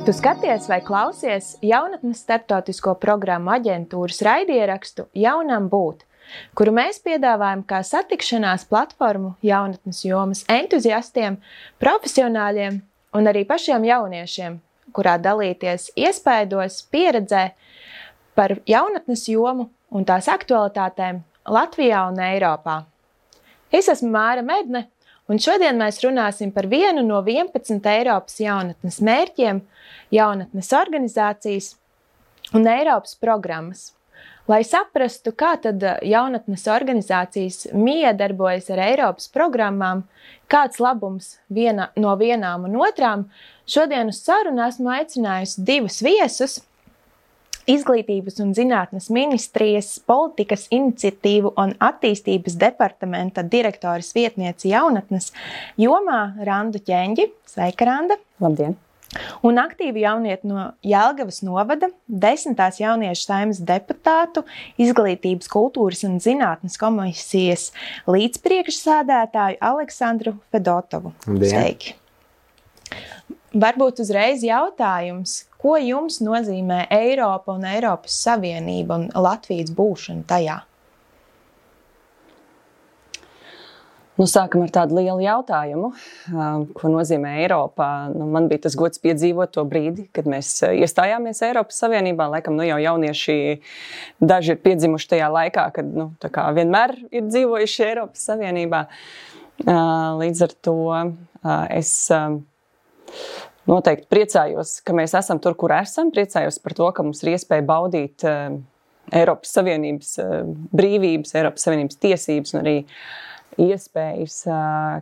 Tu skaties vai klausies jaunatnes starptautisko programmu aģentūras raidierakstu Jaunam būt, kuru mēs piedāvājam kā satikšanās platformu jaunatnes jomas entuziastiem, profesionāļiem un arī pašiem jauniešiem, kurā dalīties iespaidos, pieredzē par jaunatnes jomu un tās aktualitātēm Latvijā un Eiropā. Es esmu Māra Medne, un šodien mēs runāsim par vienu no 11 Eiropas jaunatnes mērķiem, jaunatnes organizācijas un Eiropas programmas. Lai saprastu, kā tad jaunatnes organizācijas miedarbojas ar Eiropas programmām, kāds labums no vienām un otrām, šodien uz sarunu esmu aicinājusi divus viesus, Izglītības un zinātnes ministrijas politikas iniciatīvu un attīstības departamenta direktoras vietnieci jaunatnes jomā Randu Ķeņģi. Sveika, Randa! Labdien! Un aktīvu jaunieti no Jelgavas novada, 10. jauniešu saeimas deputātu, Izglītības, kultūras un zinātnes komisijas līdzpriekšsēdētāju Aleksandru Fedotovu. Labdien. Sveiki! Varbūt uzreiz jautājums, ko jums nozīmē Eiropa un Eiropas Savienība un Latvijas būšana tajā? Sākam ar tādu lielu jautājumu, ko nozīmē Eiropa. Man bija tas gods piedzīvot to brīdi, kad mēs iestājāmies Eiropas Savienībā. Laikam jau jaunieši daži ir piedzimuši tajā laikā, kad tā kā vienmēr ir dzīvojuši Eiropas Savienībā. Līdz ar to es noteikti priecājos, ka mēs esam tur, kur esam. Priecājos par to, ka mums ir iespēja baudīt Eiropas Savienības brīvības, Eiropas Savienības tiesības un arī iespējas,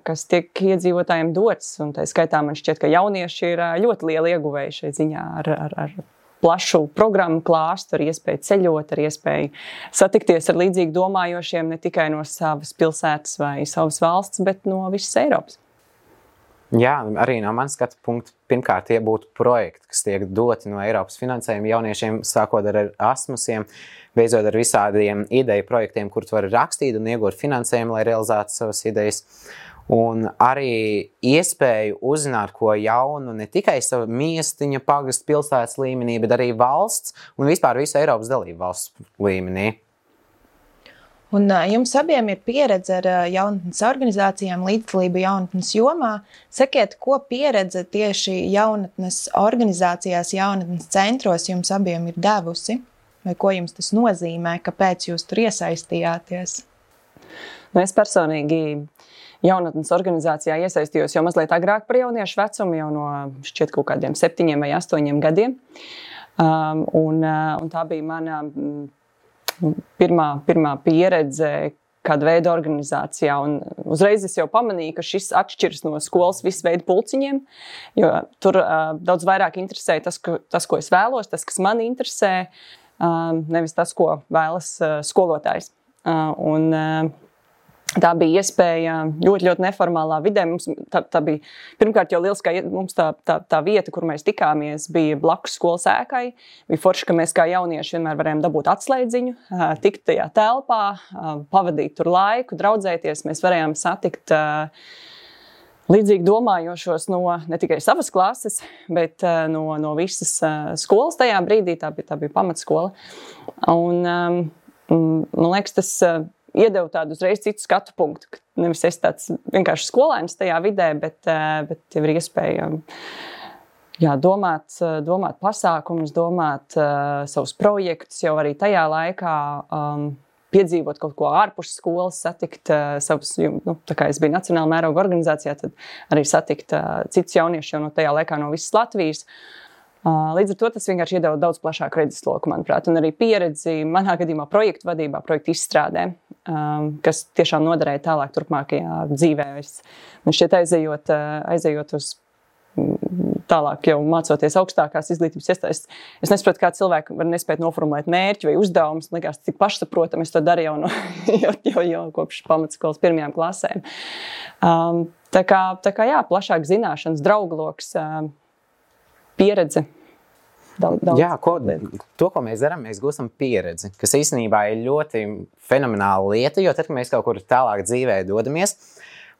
kas tiek iedzīvotājiem dots. Un tā skaitā man šķiet, ka jaunieši ir ļoti lieli ieguvēji šai ziņā ar plašu programmu klāstu, ar iespēju ceļot, ar iespēju satikties ar līdzīgi domājošiem ne tikai no savas pilsētas vai savas valsts, bet no visas Eiropas. Jā, arī no manas skatu punktu, pirmkārt, tie būtu projekti, kas tiek doti no Eiropas finansējuma jauniešiem, sākot ar Erasmusiem, beidzot ar visādiem ideju projektiem, kur tu vari rakstīt un iegūt finansējumu, lai realizētu savas idejas. Un arī iespēju uzzināt, ko jaunu ne tikai savu miestiņa, pagasta, pilsētas līmenī, bet arī valsts un vispār visu Eiropas dalību valsts līmenī. Un jums abiem ir pieredze ar jaunatnes organizācijām, līdzdalību jaunatnes jomā. Sakiet, ko pieredze tieši jaunatnes organizācijās, jaunatnes centros jums abiem ir devusi? Vai ko jums tas nozīmē, kāpēc jūs tur iesaistījāties? Es personīgi jaunatnes organizācijā iesaistījos jau mazliet agrāk par jauniešu vecumu, jau no šķiet kaut kādiem 7 vai 8 gadiem. Un tā bija mana pirmā pieredze kāda veida organizācijā. Un uzreiz es jau pamanīju, ka šis atšķiras no skolas visu veidu pulciņiem, jo tur daudz vairāk interesē tas, ko es vēlos, tas, kas mani interesē, nevis tas, ko vēlas skolotājs. Tā bija iespēja ļoti neformālā vidē. Tā bija pirmkārt jau lieliskā, mums tā vieta, kur mēs tikāmies, bija blakus skolas ēkai. Bija forši, ka mēs kā jaunieši vienmēr varējām dabūt atslēdziņu, tikt tajā telpā, pavadīt tur laiku, draudzēties. Mēs varējām satikt līdzīgi domājošos no ne tikai savas klases, bet no visas skolas tajā brīdī. Tā bija pamatskola. Un man liekas, tas iedeva tādu uzreiz citu skatu punktu, ka nevis es tāds vienkārši skolēns tajā vidē, bet jau ir iespēja domāt pasākumus, domāt savus projektus, jau arī tajā laikā piedzīvot kaut ko ārpus skolas, satikt savus, tā kā es biju nacionāla mēroga organizācijā, tad arī satikt citus jauniešus jau no tajā laikā no visas Latvijas. Līdz ar to tas vienkārši iedeva daudz plašāku redzesloku, manuprāt, un arī pieredzi manā gadījumā projektu vadībā, projektu izstrādē, kas tiešām noderēja tālāk turpmākajā dzīvē. Man šķiet aizejot uz tālāk jau mācoties augstākās izglītības iestādes. Es nesaprotu, kā cilvēki var nespēt noformulēt mērķi vai uzdevumus. Likās, cik pašsaprotam, es to darīju jau kopš pamatskolas pirmajām klasēm. Tā kā jā, plašāk zināšanas, draugloks, pieredze. Daudz. Jā, to, ko mēs darām, mēs gūstam pieredzi, kas īstenībā ir ļoti fenomenāla lieta, jo tad, kad mēs kaut kur tālāk dzīvē dodamies,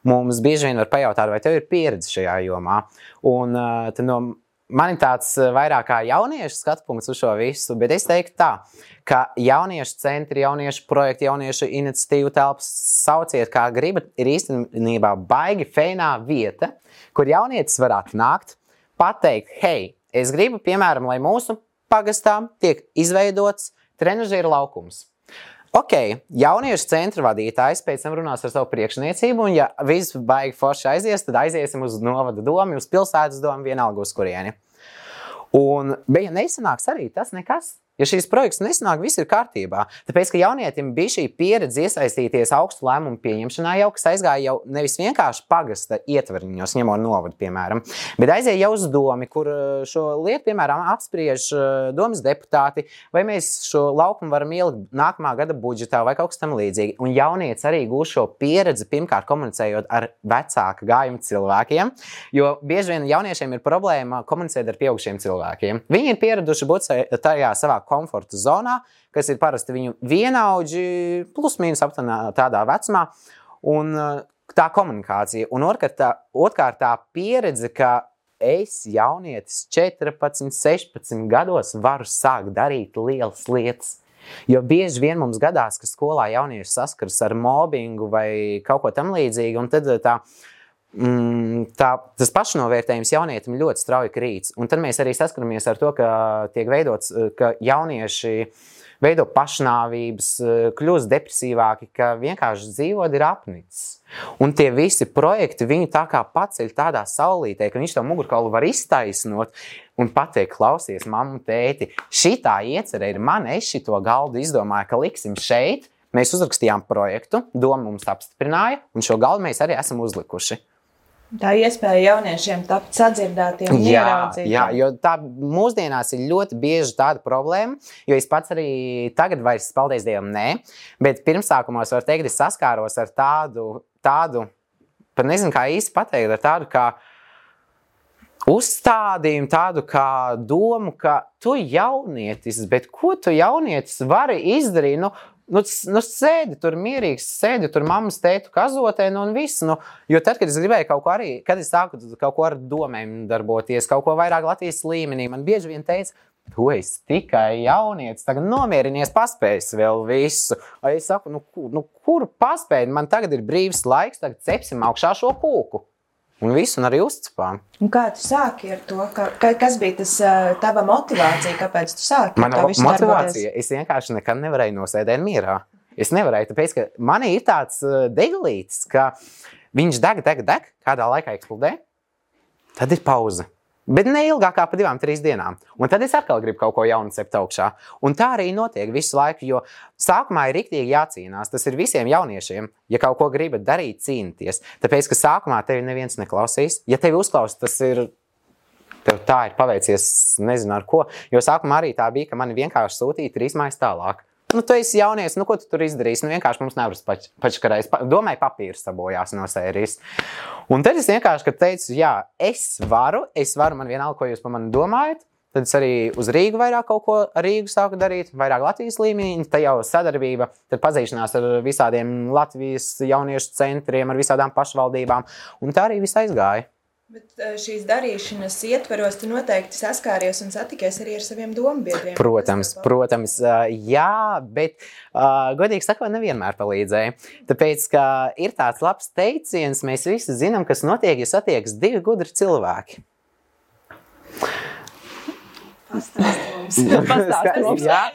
mums bieži vien var pajautāt, vai tev ir pieredze šajā jomā. Un tad no man ir tāds vairāk kā jauniešu skatpunkts uz šo visu, bet es teiktu tā, ka jauniešu centri, jauniešu projekti, jauniešu iniciatīvu telpas sauciet, kā gribat, ir īstenībā baigi feinā vieta, kur jaunietis var atnākt, pateikt, hei, es gribu, piemēram, lai mūsu pagastā tiek izveidots trenažieru laukums. Ok, jauniešu centra vadītājs pēc tam runās ar savu priekšniecību, un ja viss baigi forši aizies, tad aiziesim uz novada domu, uz pilsētas domu, vienalga uz kurieni. Bet ja nesanāks arī tas nekas, ja šīs projekts nesanāk, viss ir kārtībā. Tāpēc, ka jaunietim bija šī pieredze iesaistīties augstu lēmumu pieņemšanā jau, kas aizgāja jau nevis vienkārši pagasta ietvariņos, ņemot novadu, piemēram, bet aizēja jau uz domi, kur šo lietu, piemēram, apspriež domas deputāti, vai mēs šo laukumu varam ielikt nākamā gada budžetā vai kaut kas tam līdzīgi. Un jaunietis arī gūs šo pieredzi, pirmkārt komunicējot ar vecāka gājuma cilvēkiem, jo bieži vien jauniešiem ir problēma komunicēt ar pieaugušiem cilvēkiem. Viņi ir pieraduši būt tajā savā komforta zonā, kas ir parasti viņu vienaudži, plus mīnus aptuveni tādā vecumā, un tā komunikācija. Un otrkārt tā pieredze, ka es jaunietis 14, 16 gados varu sākt darīt lielas lietas. Jo bieži vien mums gadās, ka skolā jaunieši saskaras ar mobbingu vai kaut ko tam līdzīgu, un tad tas pašnovērtējums jaunietim ļoti strauji krīts. Un tad mēs arī saskaramies ar to, ka tiek veidots, ka jaunieši veido pašnāvības, kļūst depresīvāki, ka vienkārši dzīvot ir apnicis. Un tie visi projekti viņu tā kā paceļ tādā saulītē, ka viņš to mugurkaulu var iztaisnot un pateikt, klausies, mammu, tēti, šitā iecerē ir man, es šito galdu izdomāju, ka liksim šeit. Mēs uzrakstījām projektu, doma mums apstiprināja, un šo galdu mēs arī esam uzlikuši. Tā iespēja jauniešiem tapt sadzirdētiem un ieraudzītiem. Jā, jo tā mūsdienās ir ļoti bieži tāda problēma, jo es pats arī tagad vairs, paldies Dievam, bet pirmsākumos var teikt, es saskāros ar tādu, pat nezinu, kā īsti pateikt, ar tādu kā uzstādījumu, tādu kā domu, ka tu jaunietis, bet ko tu jaunietis vari izdarīt, Nu, sēdi tur mierīgs, sēdi tur mammas tētu kazotē, un viss. Jo tad, kad es gribēju kaut ko arī, kad es sāku kaut ko ar domēm darboties, kaut ko vairāk Latvijas līmenī, man bieži vien teica, tu esi tikai jaunietis, tagad nomierinies, paspējas vēl visu. Vai es saku, kur paspēj? Man tagad ir brīvs laiks, tagad cepsim augšā šo kūku. Un visu, un arī uzcepām. Un kā tu sāki ar to? Kas bija tas tava motivācija? Kāpēc tu sāki? Mana motivācija? Es vienkārši nekad nevarēju nosēdēt mierā. Es nevarēju, tāpēc, ka manī ir tāds deglītis, ka viņš deg, kādā laikā eksplodē, tad ir pauze. Bet ne ilgāk kā pa 2-3 dienām. Un tad es atkal gribu kaut ko jaunu cept augšā. Un tā arī notiek visu laiku, jo sākumā ir riktīgi jācīnās. Tas ir visiem jauniešiem. Ja kaut ko gribat darīt, cīnīties. Tāpēc, ka sākumā tevi neviens neklausīs. Ja tevi uzklaus, tas ir, tev tā ir paveicies, nezinu ar ko. Jo sākumā arī tā bija, ka mani vienkārši sūtīja 3 mājas tālāk. Tu esi jaunies, ko tu tur izdarīsi? Vienkārši mums nevar pačkarēs. Domāju, papīrs sabojās no sērijas. Un tad es vienkārši teicu, jā, es varu, man vienalga, ko jūs par mani domājat. Tad es arī uz Rīgu vairāk kaut ko ar Rīgu sāku darīt, vairāk Latvijas līmenī. Tā jau sadarbība, tad pazīšanās ar visādiem Latvijas jauniešu centriem, ar visādām pašvaldībām. Un tā arī viss aizgāja. Bet šīs darīšanas ietveros tu noteikti saskāries un satikies arī ar saviem dombiedriem. Protams, jā, bet godīgi sakot, nevienmēr palīdzēja. Tāpēc, ka ir tāds labs teiciens, mēs visi zinām, kas notiek, ja satiekas 2 gudri cilvēki. Pastāst mums. Jā.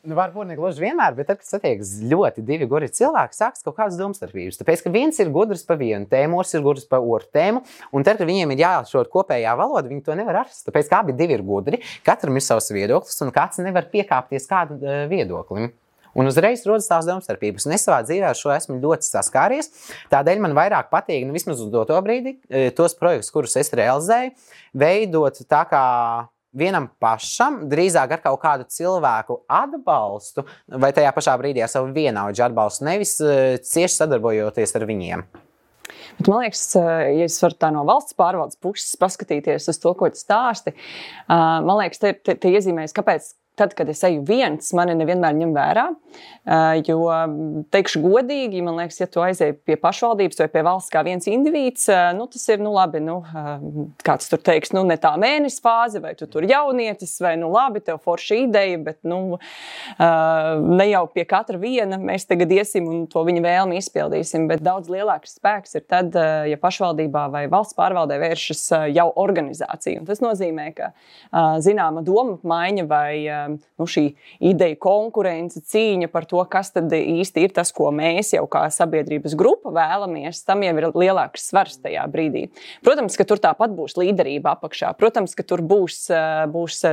Varbūt ne gluži vienmēr, bet tad, kad satiekas ļoti 2 gudri cilvēki, sāks kaut kādas domstarpības. Tāpēc, ka viens ir gudrs pa vienu tēmu, otrs ir gudrs pa otru tēmu, un tad, kad viņiem ir jāatrod kopējā valoda, viņi to nevar atrast. Tāpēc, ka abi 2 ir gudri, katram ir savs viedoklis, un kāds nevar piekāpties kādu viedoklim. Un uzreiz rodas tās domstarpības. Un es savā dzīvē ar šo esmu ļoti saskāries. Tādēļ man vairāk patīk, vismaz uz doto brīdi, tos projektus, kurus es realizēju, veidot tā kā vienam pašam, drīzāk ar kaut kādu cilvēku atbalstu, vai tajā pašā brīdī ar savu vienaudžu atbalstu, nevis cieši sadarbojoties ar viņiem. Bet man liekas, ja es varu tā no valsts pārvaldes puses paskatīties uz to, ko tu stāsti, man liekas, te iezīmējas, kāpēc tad, kad es eju viens, mani nevienmēr ņem vērā, jo, teikšu godīgi, man liekas, ja tu aizēji pie pašvaldības vai pie valsts kā viens indivīds, tas ir, labi, kāds tur teiks, ne tā mēnesis fāze, vai tu tur jaunietis, vai, labi, tev forša ideja, bet, ne jau pie katra viena mēs tagad iesim un to viņa vēlmi izpildīsim, bet daudz lielāks spēks ir tad, ja pašvaldībā vai valsts pārvaldē vēršas jau organizācija. Un tas nozīmē, ka zināma doma maiņa vai šī ideja konkurence, cīņa par to, kas tad īsti ir tas, ko mēs jau kā sabiedrības grupa vēlamies, tam jau ir lielāks svars tajā brīdī. Protams, ka tur tāpat būs līderība apakšā. Protams, ka tur būs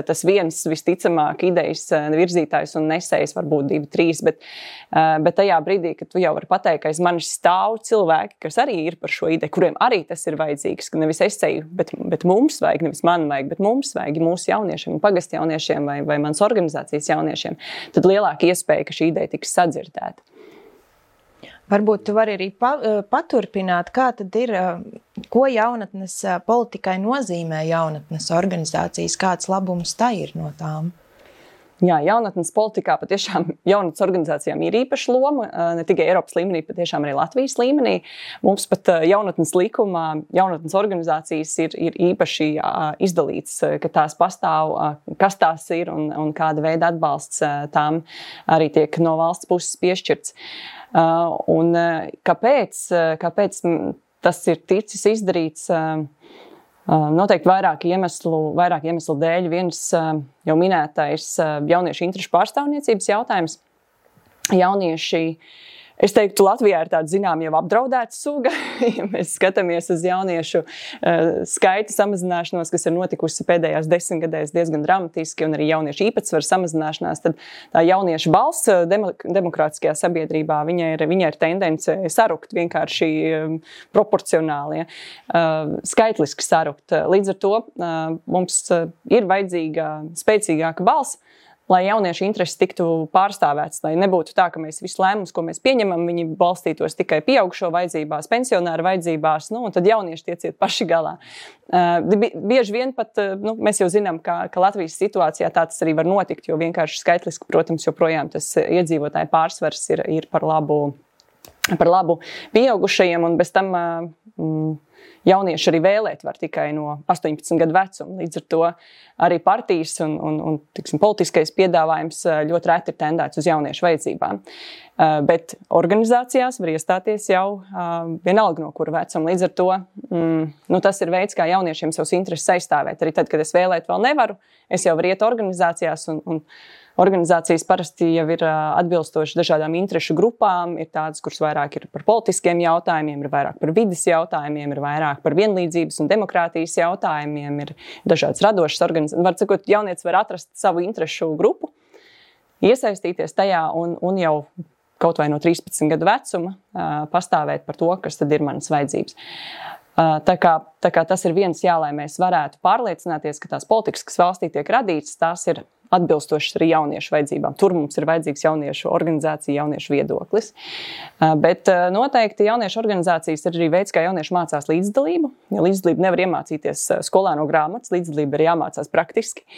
tas viens visticamāk idejas virzītājs un nesējs, varbūt 2, 3, bet tajā brīdī, kad tu jau vari pateikt, ka aiz manis stāv cilvēki, kas arī ir par šo ideju, kuriem arī tas ir vajadzīgs, ka nevis es ceju, bet mums vajag, nevis man vajag, bet mums vajag, mūsu jauniešiem, pagastu jauniešiem vai mans organizācijas jauniešiem, tad lielāka iespēja, ka šī ideja tiks sadzirdēta. Varbūt tu vari arī paturpināt, kā tad ir, ko jaunatnes politikai nozīmē jaunatnes organizācijas, kāds labums tā ir no tām? Jā, jaunatnes politikā patiešām jaunatnes organizācijām ir īpaša loma, ne tikai Eiropas līmenī, patiešām arī Latvijas līmenī. Mums pat jaunatnes likumā jaunatnes organizācijas ir īpaši izdalīts, ka tās pastāv, kas tās ir un kāda veida atbalsts tām arī tiek no valsts puses piešķirts. Un kāpēc tas ir ticis izdarīts? Noteikti vairāk iemeslu dēļ. Viens jau minētais jauniešu interešu pārstāvniecības jautājums. Jaunieši, es teiktu, Latvijā ir tāda zinām jau apdraudēta suga. Ja mēs skatāmies uz jauniešu skaita samazināšanos, kas ir notikusi pēdējās 10 gadēs diezgan dramatiski, un arī jauniešu īpatsvaru samazināšanās, tad tā jauniešu balss demokrātiskajā sabiedrībā, viņai ir tendence sarukt vienkārši proporcionāli, skaitliski sarukt. Līdz ar to mums ir vajadzīga spēcīgāka balss, lai jauniešu intereses tiktu pārstāvēts, lai nebūtu tā, ka mēs visu lēmumus, ko mēs pieņemam, viņi balstītos tikai pieaugšo vajadzībās, pensionāru vajadzībās, un tad jaunieši tiek ciet paši galā. Bieži vien pat, mēs jau zinām, ka Latvijas situācijā tā tas arī var notikt, jo vienkārši skaitliski, protams, joprojām tas iedzīvotāju pārsvars ir par labu pieaugušajiem, un bez tam jaunieši arī vēlēt var tikai no 18 gadu vecuma. Līdz ar to arī partijas un politiskais piedāvājums ļoti reti ir tendēts uz jauniešu vajadzībām. Bet organizācijās var iestāties jau vienalga no kura vecuma. Līdz ar to tas ir veids, kā jauniešiem savus intereses aizstāvēt. Arī tad, kad es vēlēt vēl nevaru, es jau varu iet organizācijās un organizācijas parasti jau ir atbilstoši dažādām interešu grupām, ir tādas, kuras vairāk ir par politiskiem jautājumiem, ir vairāk par vides jautājumiem, ir vairāk par vienlīdzības un demokrātijas jautājumiem, ir dažādas radošas organizācijas. Var sakot, jaunietis var atrast savu interešu grupu, iesaistīties tajā un jau kaut vai no 13 gadu vecuma pastāvēt par to, kas tad ir manas vajadzības. Tā kā tas ir viens, lai mēs varētu pārliecināties, ka tās politikas, kas valstī tiek radītas, tās ir atbilstošas arī jauniešu vajadzībām. Tur mums ir vajadzīgs jauniešu organizācija, jauniešu viedoklis. Bet noteikti jauniešu organizācijas ir arī veids, kā jaunieši mācās līdzdalību. Ja līdzdalību nevar iemācīties skolā no grāmatas, līdzdalība ir jāmācās praktiski.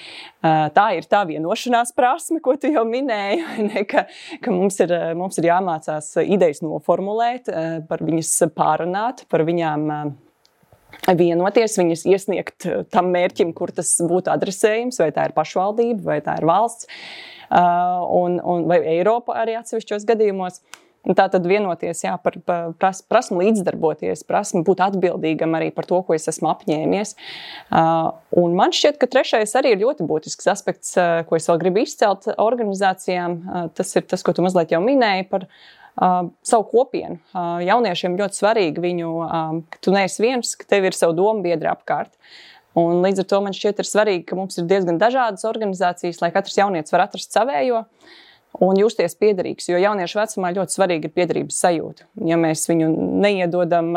Tā ir tā vienošanās prasme, ko tu jau minēji, ka mums ir jāmācās idejas noformulēt, par viņas pārunāt, par viņām vienoties, viņas iesniegt tam mērķim, kur tas būtu adresējums, vai tā ir pašvaldība, vai tā ir valsts, vai Eiropa arī atsevišķos gadījumos. Tā tad vienoties par prasmu līdzdarboties, prasmu būt atbildīgam arī par to, ko es esmu apņēmies. Un man šķiet, ka trešais arī ir ļoti būtisks aspekts, ko es vēl gribu izcelt organizācijām. Tas ir tas, ko tu mazliet jau minēji par savu kopienu. Jauniešiem ļoti svarīgi ka tu neesi viens, ka tev ir savu domu biedri apkārt. Un līdz ar to man šķiet ir svarīgi, ka mums ir diezgan dažādas organizācijas, lai katrs jaunietis var atrast savējo un justies piederīgs, jo jauniešu vecumā ļoti svarīgi ir piederības sajūta. Ja mēs viņu neiedodam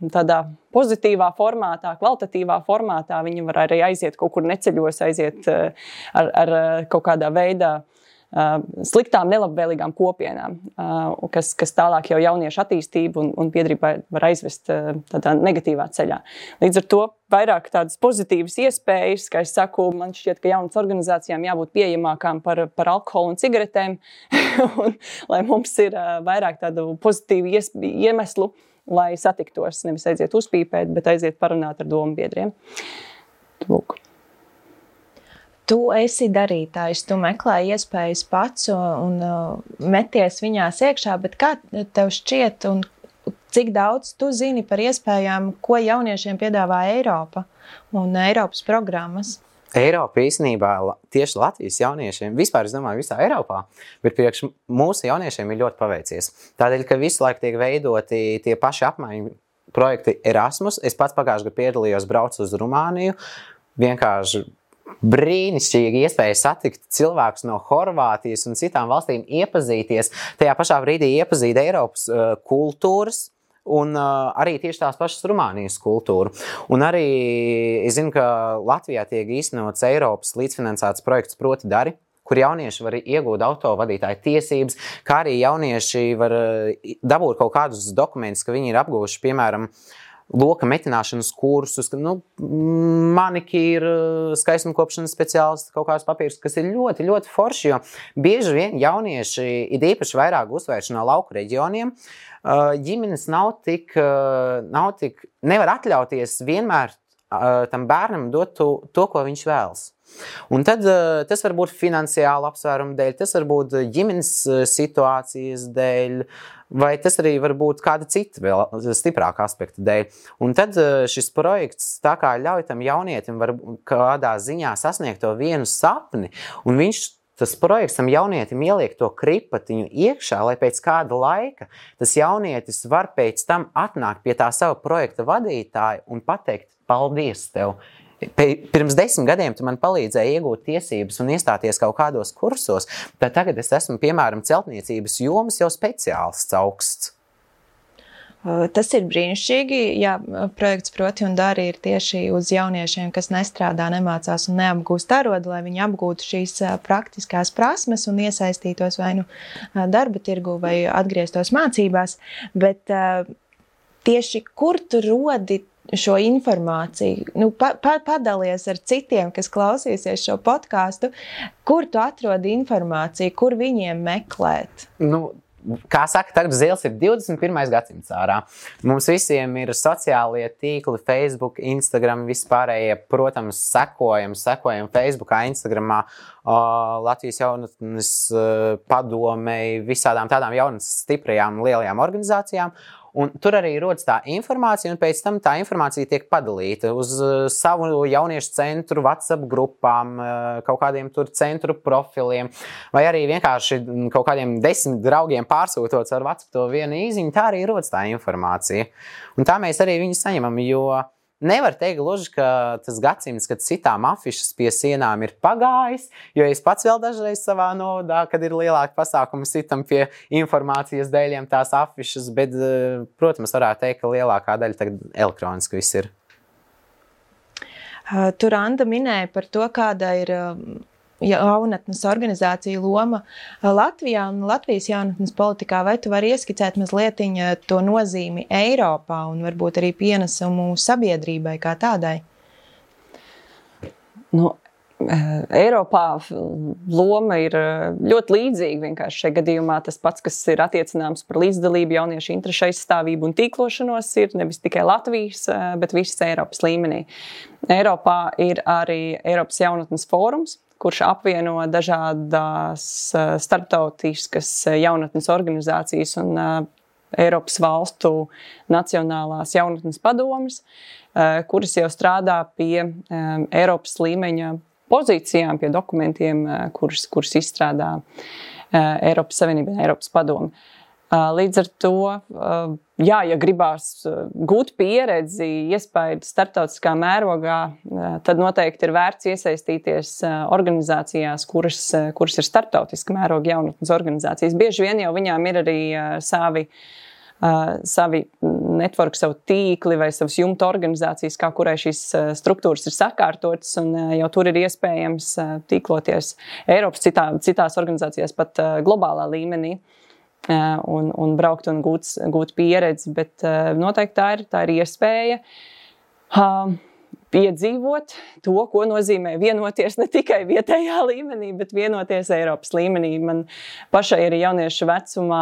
tādā pozitīvā formātā, kvalitatīvā formātā, viņi var arī aiziet kaut kur neceļos, aiziet ar kaut kādā veidā sliktām, nelabvēlīgām kopienām, kas tālāk jau jauniešu attīstību un biedrību var aizvest tādā negatīvā ceļā. Līdz ar to vairāk tādas pozitīvas iespējas, kā es saku, man šķiet, ka jaunas organizācijām jābūt pieejamākām par alkoholu un cigaretēm, un lai mums ir vairāk tādu pozitīvu iemeslu, lai satiktos, nevis aiziet uzpīpēt, bet aiziet parunāt ar domu biedriem. Lūk. Tu esi darītājs, tu meklē iespējas pats un meties viņās iekšā, bet kā tev šķiet un cik daudz tu zini par iespējām, ko jauniešiem piedāvā Eiropa un Eiropas programmas? Eiropa īstenībā tieši Latvijas jauniešiem, vispār es domāju visā Eiropā, bet priekš mūsu jauniešiem ir ļoti paveicies. Tādēļ, ka visu laiku tiek veidoti tie paši apmaiņu projekti Erasmus. Es pats pagājušajā gadā piedalījos, braucu uz Rumāniju, vienkārši brīnišķīgi iespēja satikt cilvēkus no Horvātijas un citām valstīm, iepazīties, tajā pašā brīdī iepazīt Eiropas kultūras, un arī tieši tās pašas Rumānijas kultūru. Un arī es zinu, ka Latvijā tiek īstenots Eiropas līdzfinansēts projekts Proti dari, kur jaunieši var iegūt autovadītāju tiesības, kā arī jaunieši var dabūt kaut kādus dokumentus, ka viņi ir apguvuši, piemēram, loka metināšanas kursus, manikīra, skaistumkopšanas speciālisti, kaut kādus papīrus, kas ir ļoti, ļoti forši, jo bieži vien jaunieši ir īpaši vairāk uzsvērši no lauku reģioniem. Ģimenes nav tik, nevar atļauties vienmēr tam bērnam dot to, ko viņš vēlas. Un tad tas var būt finansiāla apsvēruma dēļ, tas var būt ģimenes situācijas dēļ, vai tas arī var būt kāda cita vēl stiprāka aspekta dēļ. Un tad šis projekts tā kā ļauj tam jaunietim var kādā ziņā sasniegt to vienu sapni, un tas projekts tam jaunietim ieliek to kripatiņu iekšā, lai pēc kāda laika tas jaunietis var pēc tam atnākt pie tā sava projekta vadītāja un pateikt, paldies tev. Pirms 10 gadiem tu man palīdzēji iegūt tiesības un iestāties kaut kādos kursos, tad tagad es esmu, piemēram, celtniecības jomas jau speciālists augsts. Tas ir brīnišķīgi, jā, projekts Proti un dari ir tieši uz jauniešiem, kas nestrādā, nemācās un neapgūst arodu, lai viņi apgūtu šīs praktiskās prasmes un iesaistītos vai nu darba tirgu vai atgrieztos mācībās, bet tieši kur tu rodi šo informāciju, padalies ar citiem, kas klausīsies šo podcastu, kur tu atrodi informāciju, kur viņiem meklēt? Kā saka, tagad zils ir 21. gadsimts ārā. Mums visiem ir sociālie tīkli, Facebook, Instagram, vispārējie, protams, sekojam Facebookā, Instagramā, Latvijas jaunatnes padomei, visādām tādām jaunas stiprajām lielajām organizācijām. Un tur arī rodas tā informācija, un pēc tam tā informācija tiek padalīta uz savu jauniešu centru, WhatsApp grupām, kaut kādiem tur centru profiliem, vai arī vienkārši kaut kādiem 10 draugiem pārsūtot ar WhatsApp to vienu īziņu, tā arī rodas tā informācija. Un tā mēs arī viņu saņemam, jo nevar teikt gluži, ka tas gadsimts, kad citām afišas pie sienām ir pagājis, jo es pats vēl dažreiz savā novadā, kad ir lielāki pasākumi, sitam pie informācijas dēļiem tās afišas, bet, protams, varētu teikt, ka lielākā daļa tagad elektroniski viss ir. Tur Anda minēja par to, kāda ir jaunatnes organizācija loma Latvijā un Latvijas jaunatnes politikā. Vai tu vari ieskicēt mazliet to nozīmi Eiropā un varbūt arī pienesumu sabiedrībai kā tādai? Eiropā loma ir ļoti līdzīga. Vienkārši šajā gadījumā tas pats, kas ir attiecināms par līdzdalību, jauniešu interešu aizstāvību un tīklošanos, ir nevis tikai Latvijas, bet visas Eiropas līmenī. Eiropā ir arī Eiropas jaunatnes fórums, kurš apvieno dažādas starptautiskas jaunatnes organizācijas un Eiropas valstu nacionālās jaunatnes padomes, kuras jau strādā pie Eiropas līmeņa pozīcijām, pie dokumentiem, kurus izstrādā Eiropas Savienība un Eiropas padome. Līdz ar to, ja gribās gūt pieredzi, iespēju starptautiskā mērogā, tad noteikti ir vērts iesaistīties organizācijās, kuras ir starptautiska mēroga jaunatnes organizācijas. Bieži vien jau viņām ir arī savi network, savu tīkli vai savas jumta organizācijas, kā kurai šīs struktūras ir sakārtotas, un jau tur ir iespējams tīkloties Eiropas citās organizācijās pat globālā līmenī. Un braukt un gūt pieredzi, bet noteikti tā ir iespēja piedzīvot to, ko nozīmē vienoties ne tikai vietējā līmenī, bet vienoties Eiropas līmenī. Man pašai arī jauniešu vecumā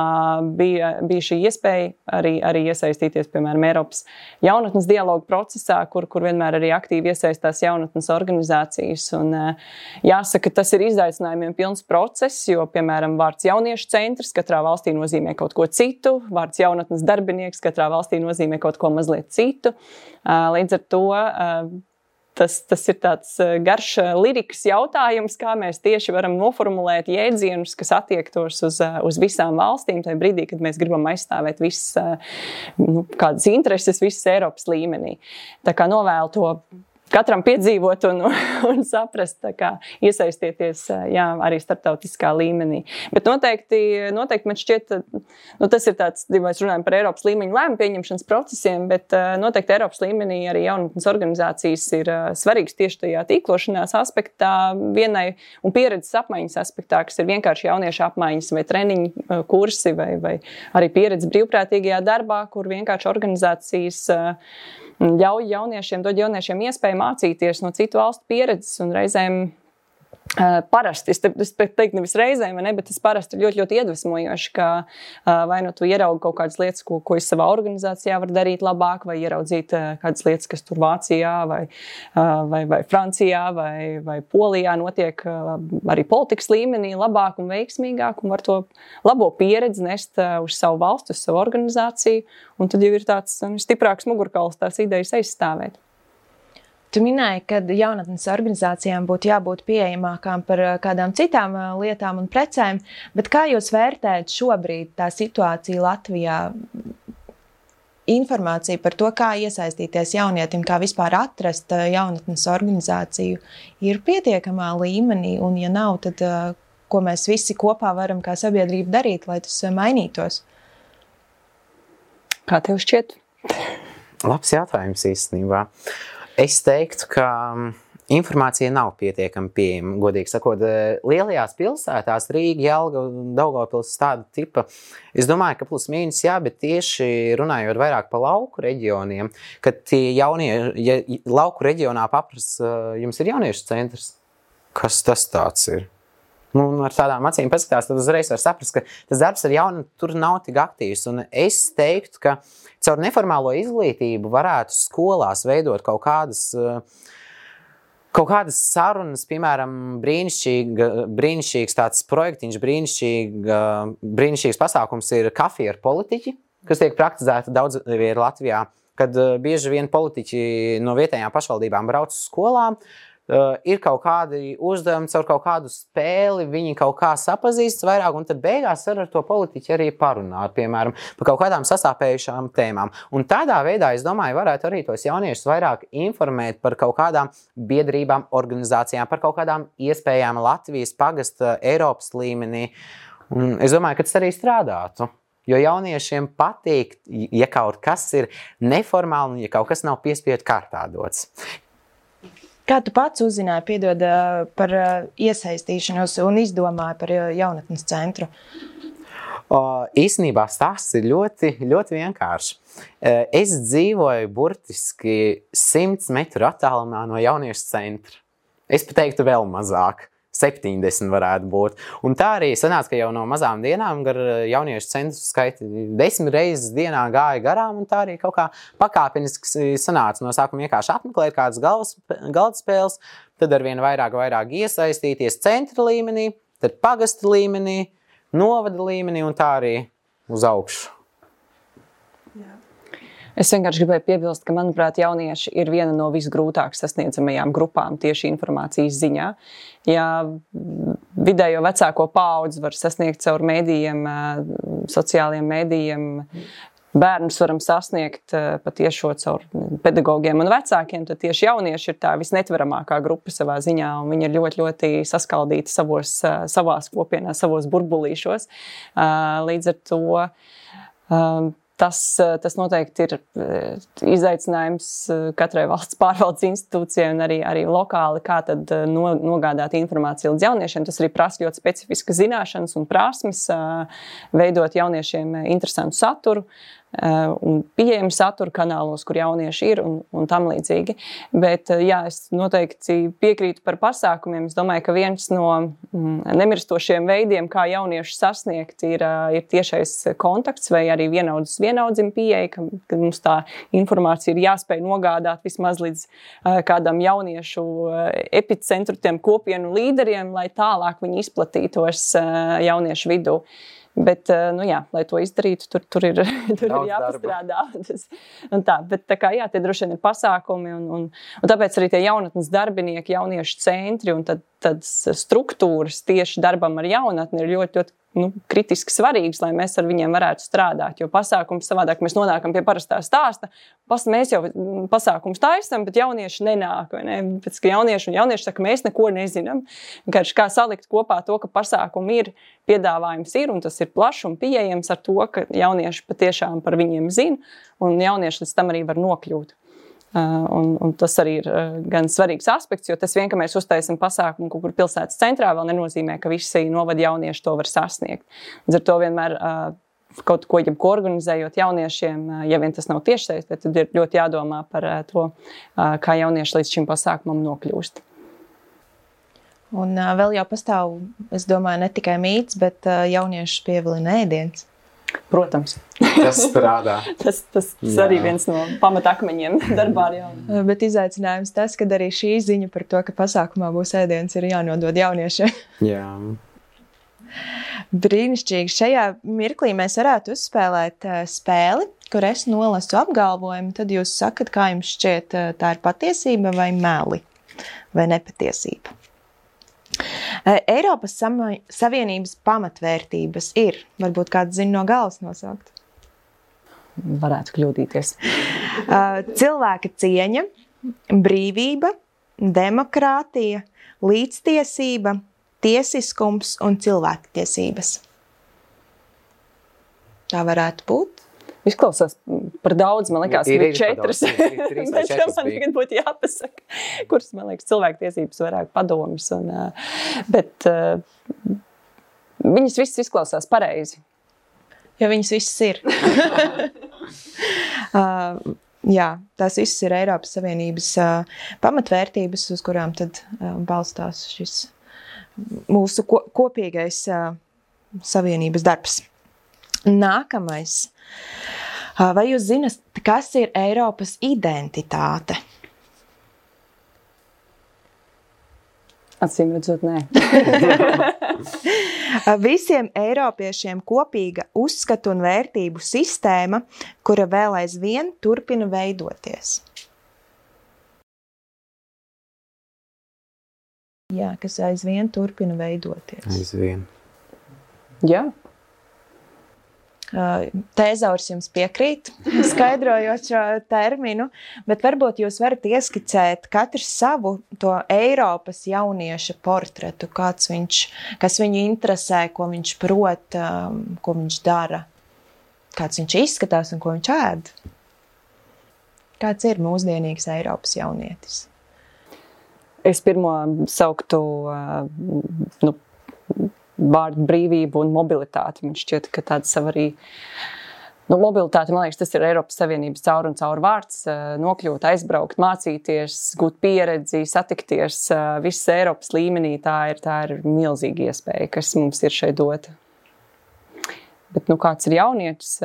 bija šī iespēja arī iesaistīties, piemēram, Eiropas jaunatnes dialogu procesā, kur vienmēr arī aktīvi iesaistās jaunatnes organizācijas. Un jāsaka, tas ir izaicinājumiem pilns process, jo, piemēram, vārds jauniešu centrs katrā valstī nozīmē kaut ko citu, vārds jaunatnes darbinieks katrā valstī nozīmē kaut ko mazliet citu. Līdz ar to tas ir tāds garš lirikas jautājums, kā mēs tieši varam noformulēt jēdzienus, kas attiektos uz visām valstīm, tajā brīdī, kad mēs gribam aizstāvēt visas kādas intereses visas Eiropas līmenī. Tā kā novēlu to katram piedzīvot un saprast, tā kā iesaistieties arī starptautiskā līmenī. Bet noteikti man šķiet, tas ir tāds, ja mēs runājam par Eiropas līmeņa lēmumu pieņemšanas procesiem, bet noteikti Eiropas līmenī arī jaunatnes organizācijas ir svarīgas tieši tajā tīklošanās aspektā, vienai un pieredzes apmaiņas aspektā, kas ir vienkārši jauniešu apmaiņas vai treniņu kursi vai arī pieredze brīvprātīgajā darbā, kur vienkārši organizācijas ļauj dod jauniešiem iespēju mācīties no citu valstu pieredzes un reizēm parasti, es teiktu nevis reizēm, ne, bet tas parasti ir ļoti, ļoti iedvesmojoši, ka vai nu tu ieraugi kaut kādas lietas, ko es savā organizācijā varu darīt labāk, vai ieraudzīt kādas lietas, kas tur Vācijā vai Francijā vai Polijā notiek arī politikas līmenī labāk un veiksimīgāk, un var to labo pieredzi nest uz savu valstu, uz savu organizāciju, un tad jau ir tāds stiprāks mugurkauls tās idejas aizstāvēt. Tu minēji, ka jaunatnes organizācijām būtu jābūt pieejamākām par kādām citām lietām un precēm, bet kā jūs vērtējat šobrīd tā situācija Latvijā? Informācija par to, kā iesaistīties jaunietim, kā vispār atrast jaunatnes organizāciju, ir pietiekamā līmenī, un ja nav, tad ko mēs visi kopā varam kā sabiedrība darīt, lai tas mainītos? Kā tev šķiet? Labs jautājums īstenībā. Es teiktu, ka informācija nav pietiekami pieejama, godīgi sakot. Lielajās pilsētās, Rīga, Jelgava, Daugavpils, tāda tipa, es domāju, ka plus mīnus jā, bet tieši runājot vairāk par lauku reģioniem, kad tie ja lauku reģionā paprasa, jums ir jauniešu centrs, kas tas tāds ir? Ar tādām acīm paskatās, tad uzreiz var saprast, ka tas darbs ar jaunu tur nav tik aktīvs. Un es teiktu, ka caur neformālo izglītību varētu skolās veidot kaut kādas sarunas, piemēram, brīnišķīgs tāds projektiņš, brīnišķīgs pasākums ir kafija ar politiķi, kas tiek praktizēta daudz vietā Latvijā, kad bieži vien politiķi no vietējām pašvaldībām brauc uz skolām, ir kaut kādi uzdevumi, caur kaut kādu spēli, viņi kaut kā sapazīstas vairāk, un tad beigās ar to politiķi arī parunāt, piemēram, par kaut kādām sasāpējušām tēmām. Un tādā veidā, es domāju, varētu arī tos jauniešus vairāk informēt par kaut kādām biedrībām, organizācijām, par kaut kādām iespējām Latvijas pagasta Eiropas līmenī. Un es domāju, ka tas arī strādātu. Jo jauniešiem patīk, ja kaut kas ir neformāli un ja kaut kas nav piespiedu kārtā dots. Kā tu pats uzzināji, piedod, par iesaistīšanos un izdomāji par jaunatnes centru? Īstenībā stāsts ir ļoti, ļoti vienkārši. Es dzīvoju burtiski 100 metru attālumā no jauniešu centra. Es pat teiktu vēl mazāk. 70 varētu būt. Un tā arī sanāca, ka jau no mazām dienām gar jauniešu centru skaiti 10 reizes dienā gāja garām, un tā arī kaut kā pakāpeniski sanāca. No sākuma vienkārši apmeklēt kādas galdspēles, tad arvien vairāk iesaistīties centra līmenī, tad pagasta līmenī, novada līmenī un tā arī uz augšu. Es vienkārši gribēju piebilst, ka, manuprāt, jaunieši ir viena no visgrūtāk sasniedzamajām grupām tieši informācijas ziņā. Ja vidējo vecāko paudzi var sasniegt caur mēdījiem, sociālajiem mēdījiem, bērnus varam sasniegt patiešo caur pedagogiem un vecākiem, tad tieši jaunieši ir tā visnetveramākā grupa savā ziņā, un viņi ir ļoti, ļoti saskaldīti savās kopienās, savos burbulīšos. Līdz ar to Tas noteikti ir izaicinājums katrai valsts pārvaldes institūcijai un arī lokāli, kā tad nogādāt informāciju līdz jauniešiem. Tas arī prasa ļoti specifiskas zināšanas un prasmes, veidot jauniešiem interesantu saturu un pieejamu saturu kanālos, kur jaunieši ir un tam līdzīgi. Bet, jā, es noteikti piekrītu par pasākumiem. Es domāju, ka viens no nemirstošiem veidiem, kā jaunieši sasniegt, ir tiešais kontakts vai arī vienaudzim pieeja, ka mums tā informācija ir jāspēj nogādāt vismaz līdz kādam jauniešu epicentru, tiem kopienu līderiem, lai tālāk viņi izplatītos jauniešu vidū. Bet, jā, lai to izdarītu, tur ir jāpastrādā. Bet jā, tie droši vien ir pasākumi un tāpēc arī tie jaunatnes darbinieki, jauniešu centri un tad struktūras tieši darbam ar jaunatni ir ļoti kritiski svarīgs, lai mēs ar viņiem varētu strādāt. Jo pasākums savādāk mēs nonākam pie parastā stāsta. Mēs jau pasākums taisam, bet jaunieši nenāk. Vai ne? Pēc, ka jaunieši saka, mēs neko nezinām. Vienkārši kā salikt kopā to, ka pasākumi ir, piedāvājums ir, un tas ir plašs un pieejams ar to, ka jaunieši patiešām par viņiem zina, un jaunieši līdz tam arī var nokļūt. Un tas arī ir gan svarīgs aspekts, jo tas vien, ka mēs uztaisam pasākumu kaut kur pilsētas centrā, vēl nenozīmē, ka visi novada jaunieši to var sasniegt. Līdz ar to vienmēr kaut ko organizējot jauniešiem, ja vien tas nav tiešsaistē, tad ir ļoti jādomā par to, kā jaunieši līdz šim pasākumam nokļūst. Un vēl jau pastāv, es domāju, ne tikai mīts, bet jaunieši pievilina ēdiens. Protams. Tas strādā. tas arī viens no pamatakmeņiem darbā ar jauniem. Bet izaicinājums tas, ka arī šī ziņa par to, ka pasākumā būs ēdiens, ir jānodod jauniešiem. Jā. Brīnišķīgi. Šajā mirklī mēs varētu uzspēlēt spēli, kur es nolasu apgalvojumu, tad jūs sakat, kā jums šķiet, tā ir patiesība vai meli, vai nepatiesība. Eiropas Savienības pamatvērtības ir, varbūt kāds zina no galvas nosaukt. Varētu kļūdīties. Cilvēka cieņa, brīvība, demokrātija, līdztiesība, tiesiskums un cilvēktiesības. Tā varētu būt. Izklausās par daudz, man liekas, ir 4. Bet man tagad būtu jāpasaka, kuras, man liekas, cilvēktiesības vairāk padomas. Bet viņas visas izklausās pareizi. Jo viņas visas ir. Jā, tās visas ir Eiropas Savienības pamatvērtības, uz kurām tad balstās šis mūsu kopīgais Savienības darbs. Nākamais. Vai jūs zināt, kas ir Eiropas identitāte? Acīm redzot, nē. Visiem eiropiešiem kopīga uzskatu un vērtību sistēma, kura vēl aizvien turpina veidoties. Jā, kas aizvien turpina veidoties. Aizvien. Jā. Tēzaurs jums piekrīt, skaidrojot šo terminu, bet varbūt jūs varat ieskicēt katrs savu to Eiropas jaunieša portretu, kas viņu interesē, ko viņš prot, ko viņš dara, kāds viņš izskatās un ko viņš ēd. Kāds ir mūsdienīgs Eiropas jaunietis? Es pirmo sauktu vārdu brīvību un mobilitāti. Man šķiet, ka tāda sava arī mobilitāte, man liekas, tas ir Eiropas Savienības caur un caur vārds, nokļūt, aizbraukt, mācīties, gūt pieredzi, satikties visas Eiropas līmenī. Tā ir milzīga iespēja, kas mums ir šeit dota. Bet, kāds ir jaunietis?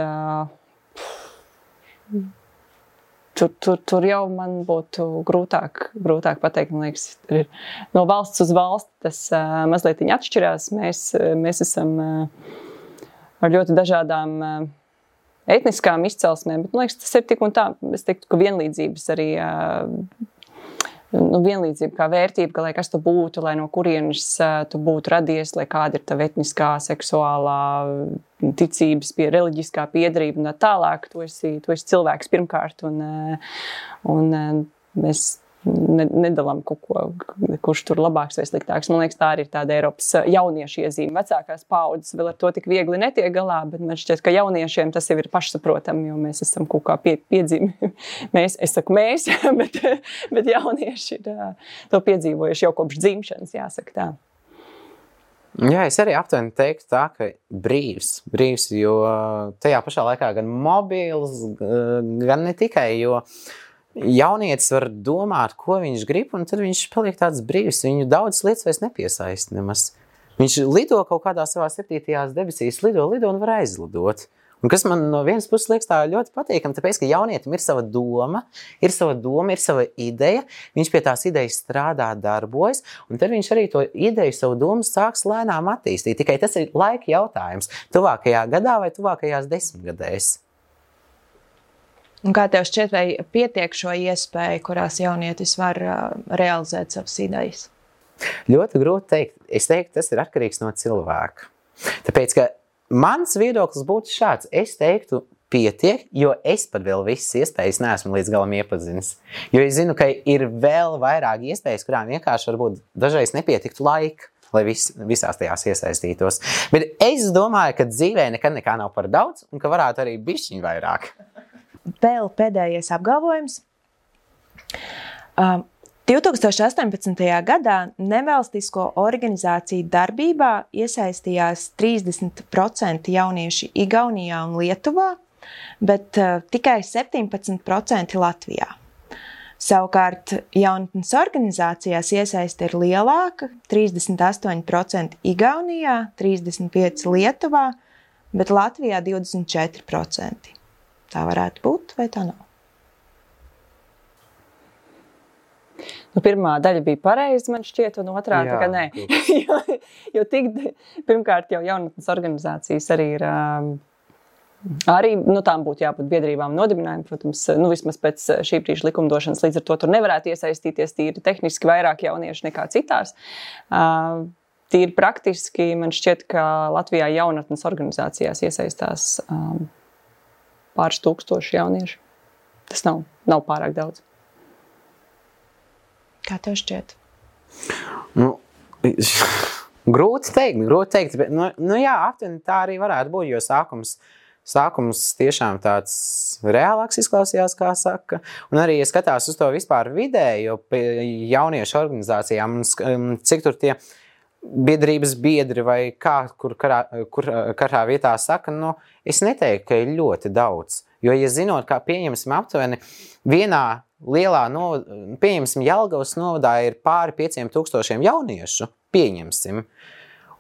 Tur jau man būtu grūtāk pateikt, man liekas, ir no valsts uz valsti tas mazliet atšķirās. Mēs esam ar ļoti dažādām etniskām izcelsmēm, bet man liekas, tas ir tik un tā. Es teiktu, ka vienlīdzības arī, vienlīdzība kā vērtība, ka lai kas tu būtu, lai no kurienes tu būtu radies, lai kāda ir tava etniskā, seksuālā, ticības, reliģiskā piedarība un tālāk. Tu esi cilvēks pirmkārt un mēs nedalām kaut ko, kurš tur labāks vai sliktāks. Man liekas, tā arī ir tāda Eiropas jauniešu iezīme. Vecākās paudzes vēl ar to tik viegli netiek galā, bet man šķiet, ka jauniešiem tas jau ir pašsaprotami, jo mēs esam kaut kā piedzīvi. Es saku mēs, bet jaunieši ir to piedzīvojuši jau kopš dzimšanas, jāsaka tā. Jā, es arī aptuveni teiktu tā, ka brīvs, jo tajā pašā laikā gan mobils, gan ne tikai, jo jaunietis var domāt, ko viņš grib, un tad viņš paliek tāds brīvs. Viņu daudz lietas vairs nepiesaist nemaz. Viņš lido kaut kādā savā 7. debesīs, lido un var aizlidot. Un kas man no vienas puses liekas tā ļoti patīkami, tāpēc, ka jaunietim ir sava doma, ir sava ideja, viņš pie tās idejas strādā, darbojas, un tad viņš arī to ideju, savu domu sāks lēnām attīstīt. Tikai tas ir laika jautājums. Tuvākajā gadā vai tuvākajās 10 gadēs. Un kā tev šķiet, vai pietiek šo iespēju, kurās jaunietis var realizēt savas idejas? Ļoti grūti teikt. Es teiktu, tas ir atkarīgs no cilvēka. Tāpēc, ka mans viedoklis būtu šāds. Es teiktu, pietiek, jo es pat vēl visas iespējas neesmu līdz galam iepazinis. Jo es zinu, ka ir vēl vairāk iespējas, kurām vienkārši varbūt dažreiz nepietiktu laika, lai visās tajās iesaistītos. Bet es domāju, ka dzīvē nekad nekā nav par daudz un ka varētu arī bišķiņ vairāk. Vēl pēdējais apgalvojums. 2018. gadā nevalstisko organizāciju darbībā iesaistījās 30% jaunieši Igaunijā un Lietuvā, bet tikai 17% Latvijā. Savukārt jaunatnes organizācijās iesaiste ir lielāka, 38% Igaunijā, 35% Lietuvā, bet Latvijā 24%. Tā varētu būt, vai tā nav? Pirmā daļa bija pareiza, man šķiet, un otrā tā kā nē. jo pirmkārt jau jaunatnes organizācijas arī ir, arī, tām būtu jābūt biedrībām nodibinājumi, protams, vismaz pēc šī brīža likumdošanas, līdz ar to tur nevarētu iesaistīties tīri tehniski vairāk jaunieši nekā citās. Tīri praktiski, man šķiet, ka Latvijā jaunatnes organizācijās iesaistās pāris tūkstoši jaunieši. Tas nav pārāk daudz. Kā tev šķiet? Grūti teikt, bet jā, aptuveni tā arī varētu būt, jo sākums tiešām tāds reālāks izklausījās, kā saka. Un arī, ja skatās uz to vispār vidējo jauniešu organizācijām, cik tur tie biedrības biedri vai kur katrā vietā saka, es neteiktu, ka ir ļoti daudz. Jo, ja zinot, kā pieņemsim aptuveni vienā lielā, pieņemsim Jelgavas novadā ir pāri 5000 jauniešu, pieņemsim.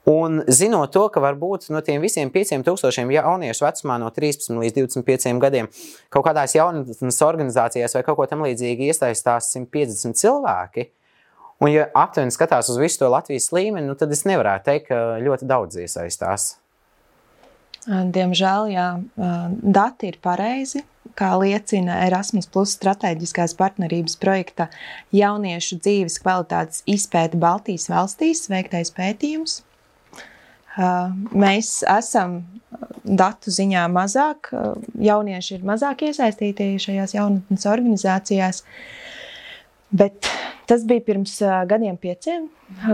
Un zinot to, ka varbūt no tiem visiem 5000 jauniešu vecumā no 13 līdz 25 gadiem kaut kādās jaunatnes organizācijās vai kaut ko tam līdzīgi iesaistās 150 cilvēki, un ja aptuveni skatās uz visu to Latvijas līmeni, tad es nevarētu teikt, ka ļoti daudz iesaistās. Diemžēl, jā, dati ir pareizi, kā liecina Erasmus Plus strateģiskās partnerības projekta jauniešu dzīves kvalitātes izpēte Baltijas valstīs veiktais pētījums. Mēs esam datu ziņā mazāk, jaunieši ir mazāk iesaistīti šajās jaunatnes organizācijās, bet tas bija pirms gadiem 5.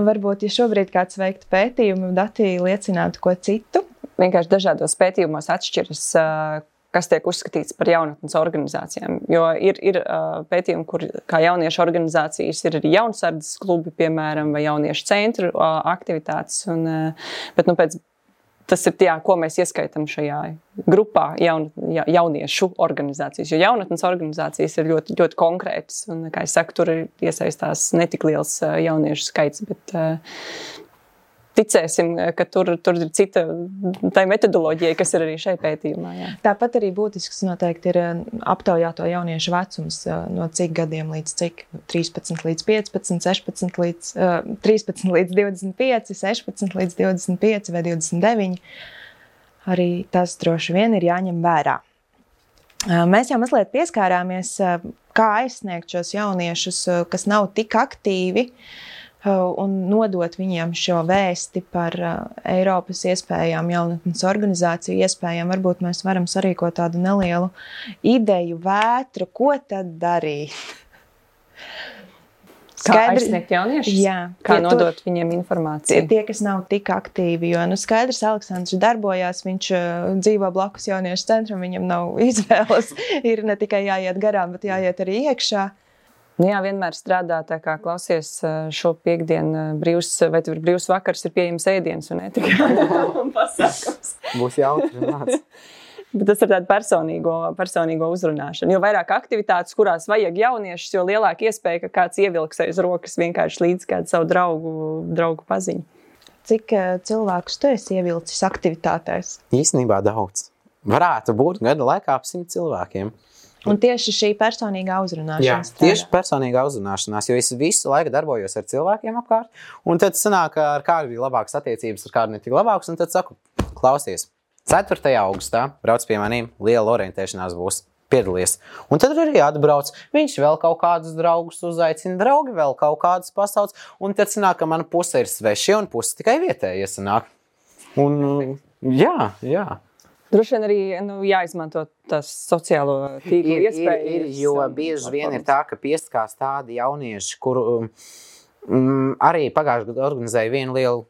Varbūt, ja šobrīd kāds veiktu pētījumu, dati liecinātu ko citu. Vienkārši dažādos pētījumos atšķiras, kas tiek uzskatīts par jaunatnes organizācijām. Jo ir pētījumi, kur kā jauniešu organizācijas ir arī jaunsardzes klubi, piemēram, vai jauniešu centru aktivitātes. Bet tas ir ko mēs ieskaitam šajā grupā jauniešu organizācijas. Jo jaunatnes organizācijas ir ļoti, ļoti konkrētas. Un, kā es saku, tur iesaistās netik liels jauniešu skaits, bet ticēsim, ka tur ir cita tā metodoloģija, kas ir arī šai pētījumā. Jā. Tāpat arī būtisks noteikti ir aptaujāto jauniešu vecums, no cik gadiem līdz cik? 13 līdz 15, 16 līdz 13 līdz 25, 16 līdz 25 vai 29. Arī tas droši vien ir jāņem vērā. Mēs jau mazliet pieskārāmies, kā aizsniegt šos jauniešus, kas nav tik aktīvi, un nodot viņiem šo vēsti par Eiropas iespējām, jaunatnes organizāciju iespējām. Varbūt mēs varam sarīkot tādu nelielu ideju vētru, ko tad darīt. Kā aizsniegt jauniešus? Jā. Kā nodot viņiem informāciju? Tie, kas nav tik aktīvi, jo, skaidrs, Aleksandrs darbojās, viņš dzīvo blakus jauniešu centram, viņam nav izvēles, ir ne tikai jāiet garām, bet jāiet arī iekšā. Jā, vienmēr strādā, tā kā klausies šo piektdienu vai tev ir brīvs vakars, ir pieejams ēdiens un ne tikai pasākums. Būs jautri. Bet tas ir tāda personīgo uzrunāšana. Jo vairāk aktivitātes, kurās vajag jauniešus, jo lielāka iespēja, ka kāds ievilks aiz rokas vienkārši līdz kādu savu draugu paziņu. Cik cilvēkus tu esi ievilcis aktivitātēs? Īstenībā daudz. Varētu būt gada laikā ap 100 cilvēkiem. Un tieši šī personīgā uzrunāšana. Jā, tieši personīgā uzrunāšanās, jo es visu laiku darbojos ar cilvēkiem apkārt, un tad sanāk, ar kādu bija labākas attiecības, ar kādu netik labākas, un tad saku, klausies, 4. augustā brauc pie manīm, liela orientēšanās būs, piedalies. Un tad arī atbrauc, viņš vēl kaut kādus draugus uzaicina, draugi vēl kaut kādus pasauc, un tad sanāk, ka mana puse ir sveši un puse tikai vietējie sanāk. Un jā. Droši vien arī jāizmanto tās sociālo tīklu iespējas. Jo bieži vien ir tā, ka piesakās tādi jaunieši, kuru arī pagājušajā gadā organizēja vienu lielu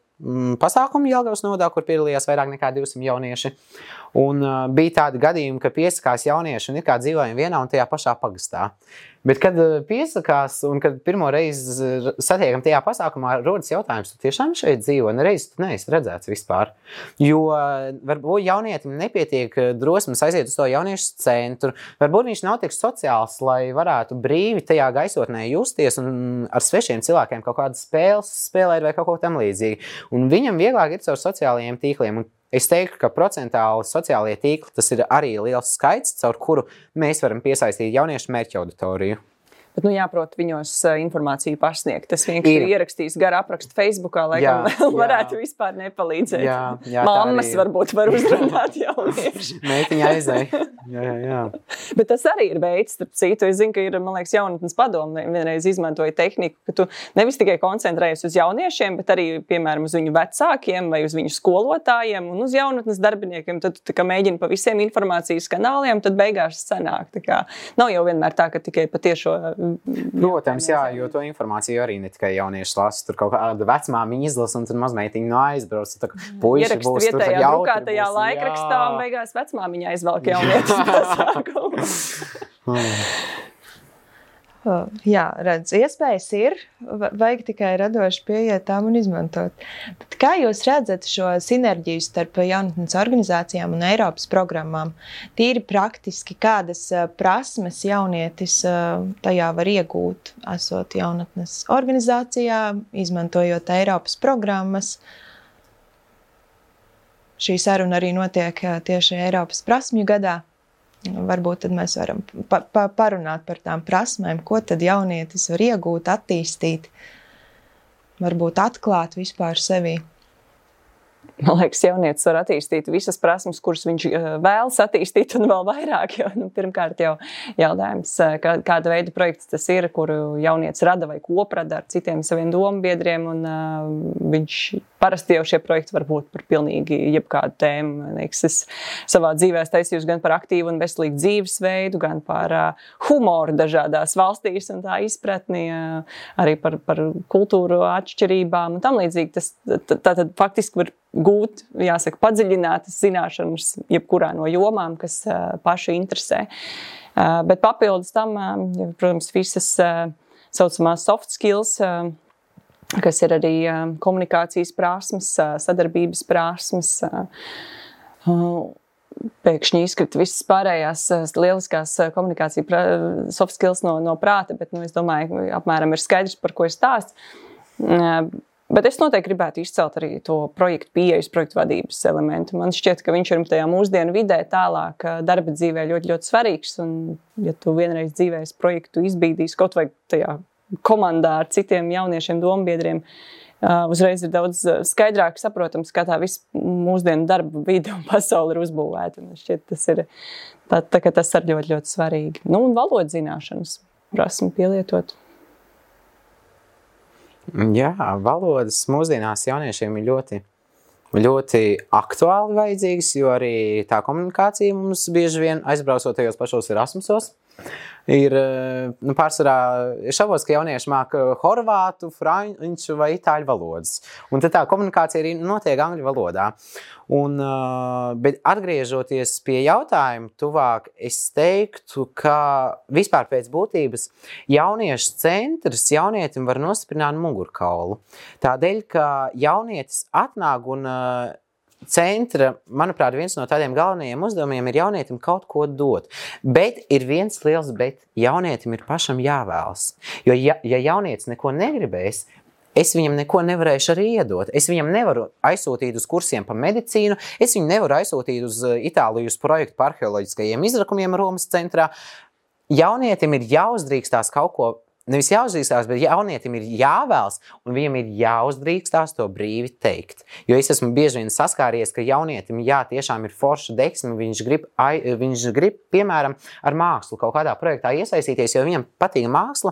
pasākumu Jelgavas novadā, kur piedalījās vairāk nekā 200 jaunieši. Un bija tādi gadījumi, ka piesakās jaunieši un ir kā dzīvojam vienā un tajā pašā pagastā. Bet, kad piesakās un kad pirmo reizi satiekam tajā pasākumā, rodas jautājums, tu tiešām šeit dzīvo, nereiz tu neesi redzēts vispār. Jo varbūt jaunietim nepietiek drosmes aiziet uz to jauniešu centru, varbūt viņš nav tik sociāls, lai varētu brīvi tajā gaisotnē justies un ar svešiem cilvēkiem kaut kādas spēles spēlēt vai kaut ko tam līdzīgi. Un viņam vieglāk ir caur sociālajiem tīkliem. Un es teiktu, ka procentāli sociālie tīkli tas ir arī liels skaits, caur kuru mēs varam piesaistīt jauniešu mērķa auditoriju. Bet, jāprot viņos informāciju pasniegt. Tas vienkārši ir ierakstījis garu aprakstu Facebookā, laikam varētu vispār nepalīdzēt. Jā, mammas varbūt var uzrunāt jaunieši. Meitiņa aizēja. Jā. Bet tas arī ir veids, starp citu. Es zinu, ka ir, man liekas, jaunatnes padome vienreiz izmantoja tehniku, ka tu nevis tikai koncentrējies uz jauniešiem, bet arī, piemēram, uz viņu vecākiem vai uz viņu skolotājiem un uz jaunatnes darbiniekiem. Tad tu mēģini pa visiem informācijas kanāliem, tad beigās sanāk. Tā kā nav jau vienmēr tā, ka tikai patiešo. Protams, jā, jo to informāciju arī ne tikai jaunieši lasa. Tur kaut kāda vecmāmiņa izlasa un tad mazmeitiņa no aizbrauc. Puiši būs tur vietējā drukātajā laikrakstā un beigās vecmāmiņa aizvelk jaunietis pasākumu. Jā, redz, iespējas ir, vajag tikai radoši pieiet tām un izmantot. Bet kā jūs redzat šo sinerģiju starp jaunatnes organizācijām un Eiropas programmām? Tīri praktiski, kādas prasmes jaunietis tajā var iegūt, esot jaunatnes organizācijā, izmantojot Eiropas programmas? Šī saruna arī notiek tieši Eiropas prasmju gadā. Varbūt tad mēs varam parunāt par tām prasmēm, ko tad jaunietis var iegūt, attīstīt, varbūt atklāt vispār sevī. Man liekas, jaunietis var attīstīt visas prasmes, kuras viņš vēlas attīstīt un vēl vairāk. Jo, pirmkārt jau jautājums, kāda veida projekts tas ir, kuru jaunietis rada vai koprada ar citiem saviem dombiedriem. Un viņš parasti jau šie projekti var būt par pilnīgi jebkādu tēmu. Es savā dzīvē taisījos gan par aktīvu un veselīgu dzīvesveidu, gan par humoru dažādās valstīs un tā izpratni, arī par kultūru atšķirībām un tam līdzīgi. Tātad faktiski var gūt, jāsaka, padziļinātas zināšanas jebkurā no jomām, kas paši interesē. Bet papildus tam, protams, visas saucamās soft skills, kas ir arī komunikācijas prasmes, sadarbības prasmes, pēkšņi izkrita visas pārējās lieliskās komunikācijas soft skills no prāta, bet es domāju, apmēram ir skaidrs, par ko es stāstu. Bet es noteikti gribētu izcelt arī to projektu pieejas, projektu vadības elementu. Man šķiet, ka viņš ir tajā mūsdienu vidē tālāk darba dzīvē ļoti, ļoti svarīgs. Un, ja tu vienreiz dzīvēs projektu izbīdīs kaut vai tajā komandā ar citiem jauniešiem dombiedriem, uzreiz ir daudz skaidrāk saprotams, kā tā viss mūsdienu darba vide un pasauli ir uzbūvēta. Man šķiet, tas ir tas ir ļoti, ļoti svarīgi. Un valodas zināšanas prasmi pielietot. Jā, valodas mūsdienās jauniešiem ir ļoti, ļoti aktuāli vajadzīgas, jo arī tā komunikācija mums bieži vien aizbraucot tajos pašos Erasmusos. Ir pārsvarā šaubos, ka jaunieši māca horvātu, franču vai itāļu valodas. Un tad tā komunikācija arī notiek angļu valodā. Bet atgriežoties pie jautājuma tuvāk, es teiktu, ka vispār pēc būtības jauniešu centrs jaunietim var nostiprināt mugurkaulu. Tādēļ, ka jaunietis atnāk un centra, manuprāt, viens no tādiem galvenajiem uzdevumiem ir jaunietim kaut ko dot. Bet ir viens liels bet. Jaunietim ir pašam jāvēlas. Jo ja jaunietis neko negribēs, es viņam neko nevarēšu arī iedot. Es viņam nevaru aizsūtīt uz kursiem pa medicīnu, es viņu nevaru aizsūtīt uz Itāliju uz projektu par arheoloģiskajiem izrakumiem Romas centrā. Jaunietim ir jāuzdrīkstās kaut ko, nevis jāuzdrīkstās, bet jaunietim ir jāvēlas, un viņam ir jāuzdrīkstās to brīvi teikt. Jo es esmu bieži vien saskāries, ka jaunietim tiešām ir forša deksme, viņš grib, piemēram, ar mākslu kaut kādā projektā iesaistīties, jo viņam patīk māksla.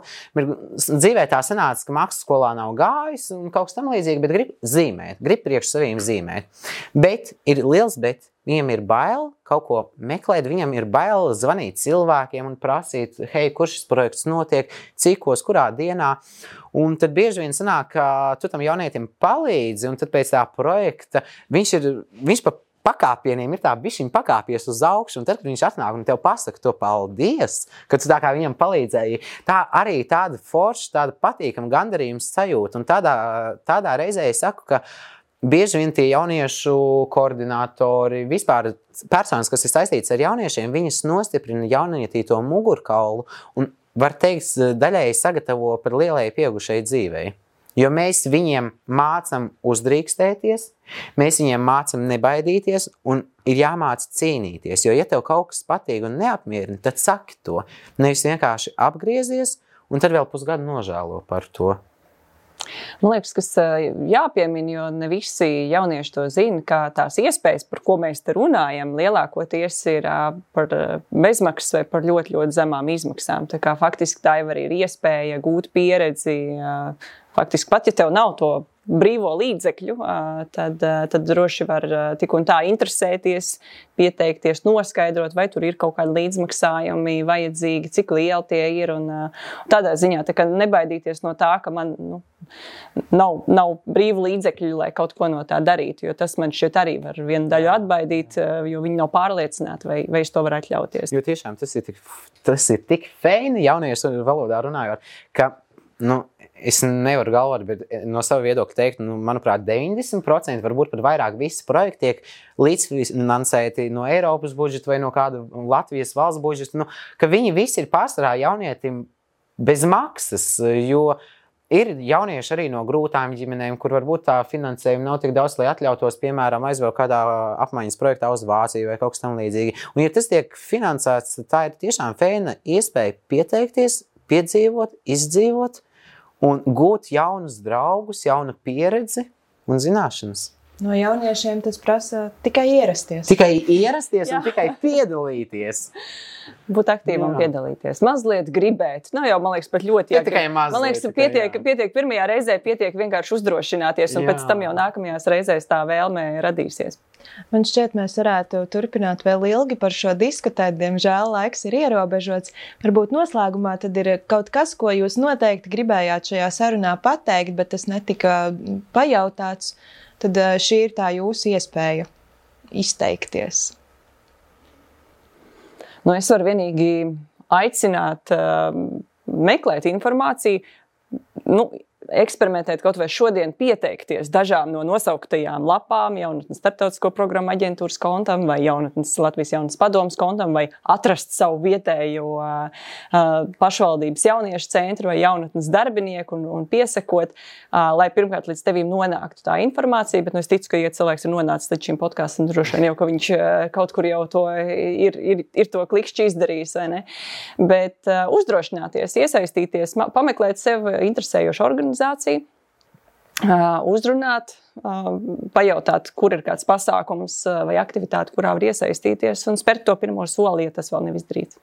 Dzīvē tā sanāca, ka mākslas skolā nav gājis un kaut kas tam līdzīgi, bet grib zīmēt, grib priekš saviem zīmēt. Bet ir liels bet. Viņam ir bail kaut ko meklēt, viņam ir bail zvanīt cilvēkiem un prasīt, hei, kur šis projekts notiek, cikos, kurā dienā. Un tad bieži vien sanāk, ka tu tam jaunietim palīdzi, un tad pēc tā projekta viņš pa pakāpieniem ir tā bišķiņ pakāpies uz augšu, un tad, kad viņš atnāk un tev pasaka to paldies, ka tu tā kā viņam palīdzēji, tā arī tāda forša, tāda patīkama gandarījums sajūta. Un tādā reizē es saku, ka bieži vien tie jauniešu koordinātori, vispār personas, kas ir saistītas ar jauniešiem, viņas nostiprina jaunietī to mugurkaulu un, var teikt, daļēji sagatavo par lielai pieaugušai dzīvei. Jo mēs viņiem mācam uzdrīkstēties, mēs viņiem mācam nebaidīties un ir jāmāca cīnīties. Jo, ja tev kaut kas patīk un neapmierina, tad saki to. Nevis vienkārši apgriezies un tad vēl pusgadu nožēlo par to. Man liekas, kas jāpiemina, jo ne visi jaunieši to zina, ka tās iespējas, par ko mēs te runājam, lielākoties ir par bezmaksas vai par ļoti, ļoti zemām izmaksām. Tā kā faktiski tā jau arī ir iespēja gūt pieredzi. Faktiski pat, ja tev nav to brīvo līdzekļu, tad droši var tik un tā interesēties, pieteikties, noskaidrot, vai tur ir kaut kādi līdzmaksājumi vajadzīgi, cik lieli tie ir. Un tādā ziņā tā kā nebaidīties no tā, ka man nav brīvu līdzekļu, lai kaut ko no tā darītu, jo tas man šķiet arī var vienu daļu atbaidīt, jo viņi nav pārliecināti, vai es to varu atļauties. Jo tiešām tas ir tik feini jauniešu valodā runājot, ka es nevaru galvot, bet no sava viedokļa teikt, manuprāt, 90%, varbūt pat vairāk visi projekti tiek līdzfinansēti no Eiropas budžeta vai no kāda Latvijas valsts budžeta, ka viņi visi ir pārsvarā jaunietim bez maksas, jo ir jaunieši arī no grūtām ģimenēm, kur varbūt tā finansējuma nav tik daudz, lai atļautos, piemēram, aizvēl kādā apmaiņas projektā uz Vāciju vai kaut kas tam līdzīgi. Un ja tas tiek finansēts, tā ir tiešām feina iespēja pieteikties, piedzīvot, izdzīvot un gūt jaunus draugus, jaunu pieredzi un zināšanas. No jauniešiem tas prasa tikai ierasties. Tikai ierasties un tikai piedalīties. Būt aktīvam piedalīties. Mazliet gribēt. Jau, man liekas, pat ļoti jāgrib. Man liekas, pietiek pirmajā reizē, pietiek vienkārši uzdrošināties, un pēc tam jau nākamajās reizēs tā vēlme radīsies. Man šķiet, mēs varētu turpināt vēl ilgi par šo diskutēt. Diemžēl laiks ir ierobežots. Varbūt noslēgumā tad ir kaut kas, ko jūs noteikti gribējāt šajā sarunā pateikt, bet tas netika pajautāts. Tad šī ir tā jūsu iespēja izteikties. Es varu vienīgi aicināt meklēt informāciju, eksperimentēt kaut vai šodien pieteikties dažām no nosauktajām lapām, Jaunatnes starptautisko programmu aģentūras kontam vai Jaunatnes Latvijas jaunas padomas kontam vai atrast savu vietējo pašvaldības jauniešu centru vai jaunatnes darbinieku un piesakot, lai pirmkārt līdz tevīm nonāktu tā informācija, bet es ticu, ka, ja cilvēks ir nonācis līdz šim podkastam, droši vien jau, ka viņš kaut kur jau to ir to klikšķi izdarījis, vai ne? Bet uzdrošināties, iesaistīties, pameklēt sev interesējošu organizāciju, uzrunāt, pajautāt, kur ir kāds pasākums vai aktivitāte, kurā var iesaistīties un spērt to pirmo soli, ja tas vēl nav izdarīts.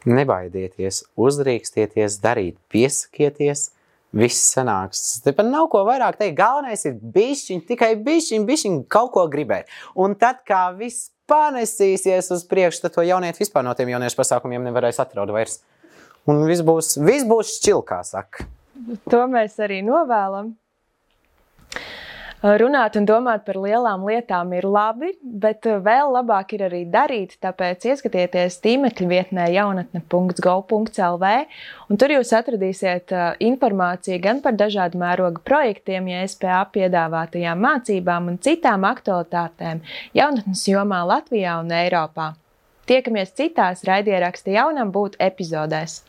Nebaidieties, uzdrīkstieties, darīt, piesakieties, viss sanāks. Tepat nav ko vairāk teikt, galvenais ir bišķiņ, tikai bišķiņ kaut ko gribēt. Un tad, kā viss panesīsies uz priekšu, tad to jaunieti vispār no tiem jauniešu pasākumiem nevarēs atraut vairs. Un viss būs šķil, kā saka. To mēs arī novēlam. Runāt un domāt par lielām lietām ir labi, bet vēl labāk ir arī darīt, tāpēc ieskatieties tīmekļa vietnē jaunatne.gov.lv, un tur jūs atradīsiet informāciju gan par dažādu mēroga projektiem, JSPA piedāvātajām mācībām un citām aktualitātēm jaunatnes jomā Latvijā un Eiropā. Tiekamies citās raidieraksta Jaunam būt epizodēs.